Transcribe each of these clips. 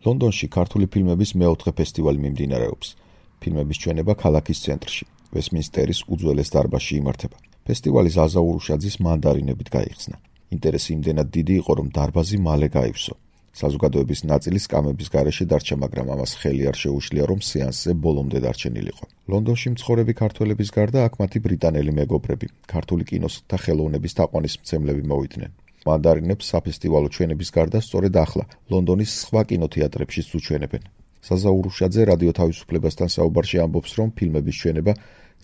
ლონდონში ქართული ფილმების მეოთხე ფესტივალი მიმდინარეობს. ფილმების ჩვენება ქალაქის ცენტრში, ვესტმინსტერის უძველეს დარბაზში იმართება. ფესტივალი ზაზა ურუშაძის მანდარინებით გაიხსნა. ინტერესი იმდენად დიდი იყო, რომ დარბაზი მალე გაივსო. საზოგადოების ნაწილი სკამების გარეშე დარჩა, მაგრამ ამას ხელი არ შეუშლია, რომ სეანსზე ბოლომდე დარჩენილიყო. ლონდონში მცხოვრები ქართველების გარდა აქ მათი ბრიტანელი მეგობრები, ქართული კინოს და ხელოვნების თაყვანისმცემლები მოვიდნენ. მანდარინებს საფესტივალო ჩვენების გარდა სწორედ ახლა ლონდონის სხვა კინოთეატრებშიც უჩვენებენ. ზაზა ურუშაძე რადიო თავისუფლებასთან საუბარში ამბობს, რომ ფილმების ჩვენება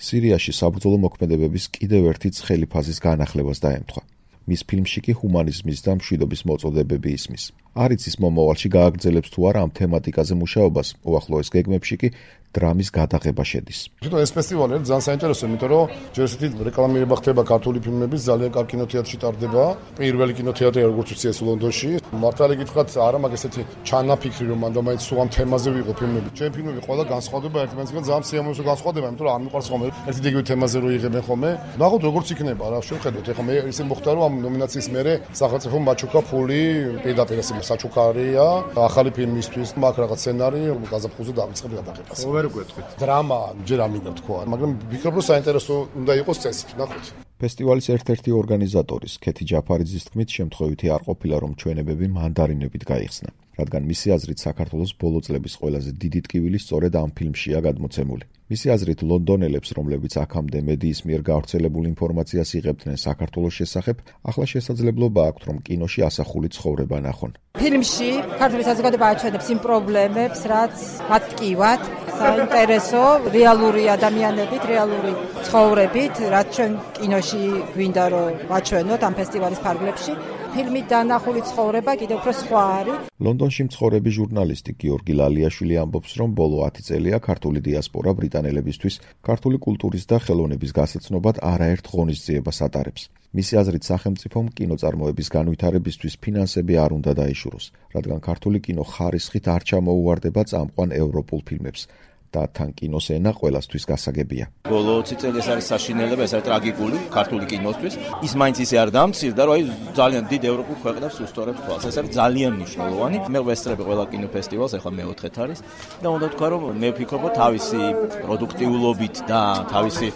სირიაში საბრძოლო მოქმედებების კიდევ ერთი ცხელი ფაზის განახლებას დაემთხვა. მის ფილმში კი ჰუმანიზმის და მშვიდობის მოწოდებები ისმის. არ იცის მომავალში გააგრძელებს თუ არა ამ თემატიკაზე მუშაობას, უახლოეს გეგმებში კი დრამის გადაღება შედის. ეს ფესტივალი ძალიან საინტერესოა, იმიტომ რომ ჯერ ესეთი რეკლამირება ხდება ქართული ფილმების, ძალიან კარგი კინოთეატრში ტარდება. პირველი კინოთეატრი როგორც ვიცი ეს ლონდონში. მართალი გითხრათ, არა მაგ ესეთი ჩანაფიქრი რომ მანდ მაინც სულ ამ თემაზე ვიყო ფილმები. ჩემი ფილმები ყველა განსხვავდება ერთმანეთისგან ძალიან სიამოვნებაში განსხვავდება, იმიტომ რომ არ მიყვარს ხოლმე ერთი და იგივე თემაზე რო იღებენ ხოლმე. ნახოთ როგორც იქნება რა, შევხედოთ. ეხლა მე ისე მოხდა რომ ამ ნომინაციის მერე სახელმწიფო მაჩუკა ფული პირდაპირ ესე საჩუქარია ახალი ფილმისთვის, მაგ რაღაც სცენარი გაზაფხულზე დავიწყებ გადაღებას. ვერ გვეთქვით. დრამა ჯერ არ მინდა თქვა, მაგრამ ვფიქრობ რომ საინტერესო უნდა იყოს წესით, ნახოთ. ფესტივალის ერთ-ერთი ორგანიზატორის ქეთი ჯაფარიძის თქმით, შემთხვევითი არ ყოფილა, რომ ჩვენებები მანდარინებით გაიხსნა, რადგან მისი აზრით საქართველოს ბოლო წლების ყველაზე დიდი ტკივილი სწორედ ამ ფილმშია გადმოცემული. მისი აზრით ლონდონელებს, რომლებიც აქამდე მედიის მიერ გავრცელებულ ინფორმაციას იღებდნენ საქართველოს შესახებ, ახლა შესაძლებლობა აქვთ, რომ კინოში ასახული ცხოვრება ნახონ. ფილმში ქართული საზოგადოება აჩვენებს იმ პრობლემებს, რაც მათ ტკივათ, საინტერესო რეალური ადამიანებით, რეალური ცხოვრებით, რაც ჩვენ კინოში გვინდა რომ ვაჩვენოთ ამ ფესტივალის ფარგლებში. ფილმით დანახული ცხოვრება კიდევ უფრო სხვა არის. ლონდონში მცხოვრები ჟურნალისტი გიორგი ლალიაშვილი ამბობს, რომ ბოლო 10 წელია ქართული დიასპორა ბრიტანელებისთვის ქართული კულტურის და ხელოვნების გასაცნობად არაერთ ღონისძიებას ატარებს. მისი აზრით, სახელმწიფომ კინოწარმოების განვითარებისთვის ფინანსები არ უნდა დაიშუროს, რადგან ქართული კინო ხარისხით არ ჩამოუვარდება წამყვან ევროპულ ფილმებს. და თან კინოს ენა ყველასთვის გასაგებია. ბოლო 20 წელი ეს არის საშინელება, ეს არის ტრაგიკული ქართული კინოსთვის. ის მაინც ისე არ დამცირდა, რომ აი ძალიან დიდ ევროპულ ქვეყნებს უსწორებს თვალს. ეს არის ძალიან მნიშვნელოვანი. მე ვესწრები ყველა კინოფესტივალს, ახლა მეოთხეთ არის და უნდა თქვა, რომ მე ვფიქრობ, თავისი პროდუქტიულობით და თავისი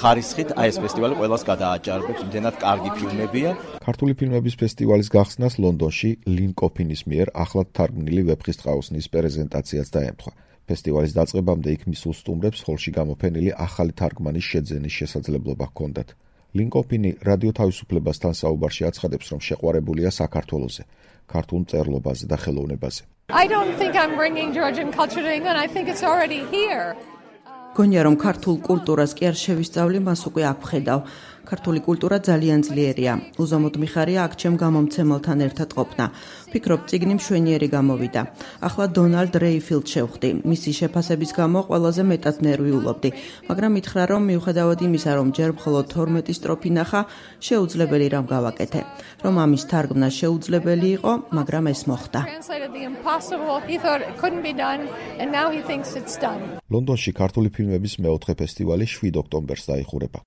ხარისხით აი ეს ფესტივალი ყველას გადააჭარბებს, იმდენად კარგი ფილმებია. ქართული ფილმების ფესტივალის გახსნას ლონდონში ლინ კოფინის მიერ ახლად თარგმნილი ვეფხისტყაოსნის პრეზენტაციაც დაემთხვა. ფესტივალის დაწყებამდე იქ მისულ სტუმრებს ჰოლში გამოფენილი ახალი თარგმანის შეძენის შესაძლებლობა ჰქონდათ. ლინ კოფინი რადიო თავისუფლებასთან საუბარში აცხადებს, რომ შეყვარებულია საქართველოზე, ქართულ მწერლობაზე და ხელოვნებაზე. I don't think I'm bringing Georgian culture to England. I think it's already here. გონია რომ ქართულ კულტურას კი არ შევისწავლი, მას უკვე აქ ვხედავ. ქართული კულტურა ძალიან ძლიერია. უზომოდ მიხარია აქ ჩემ გამომცემელთან ერთად ყოფნა. ვფიქრობ, წიგნი მშვენიერი გამოვიდა. ახლა დონალდ რეიფილდ შევხვდი. მისი შეფასების გამო ყველაზე მეტად ნერვიულობდი, მაგრამ მითხრა, რომ მიუხედავად იმისა, რომ ჯერ მხოლოდ 12 სტროფი ნახა, შეუძლებელი რამ გავაკეთე. რომ ამის თარგმნა შეუძლებელი იყო, მაგრამ ეს მოხდა. ლონდონში ქართული ფილმების მეოთხე ფესტივალი 7 ოქტომბერს დაიხურება.